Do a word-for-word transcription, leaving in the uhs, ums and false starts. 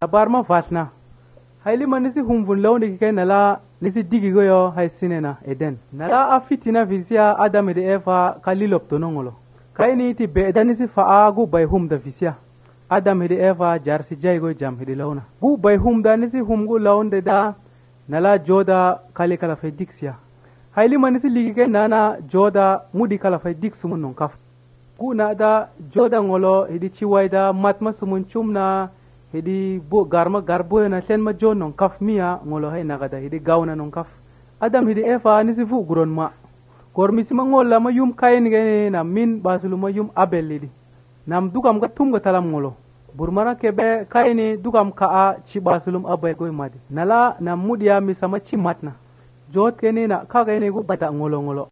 Barma fatna hayli manisi humvun lawni ke nala nisi digi go yo hay sinena eden nala afitina visia adam de eva kalilop to nongolo kayni ti be danisi fa gu bay hum da visia adam de eva jarsi jay go jam hidi lawna gu bay hum da nisi hum gu lawnde da nala joda kali kala fe dixia hayli manisi ligi ke nana joda mudi kala fe dixum non kaf gu na da joda ngolo hidi chiwaida matma sumun chumna hidi bo garma garbo na sen ma jonon kaf miya ngolo hay nagada hidi gawna non kaf adam hidi efa ni sifu guron ma kor mi sima ngolla ma yum kayen gene na min basulu ma yum abelidi nam dugam ga tum ga talam ngolo burmana kebe kayni dugam ka a ci basulum abay goy madi nala nam mudiya mi sama ci matna jot kene na kaga ne go bata ngolo ngolo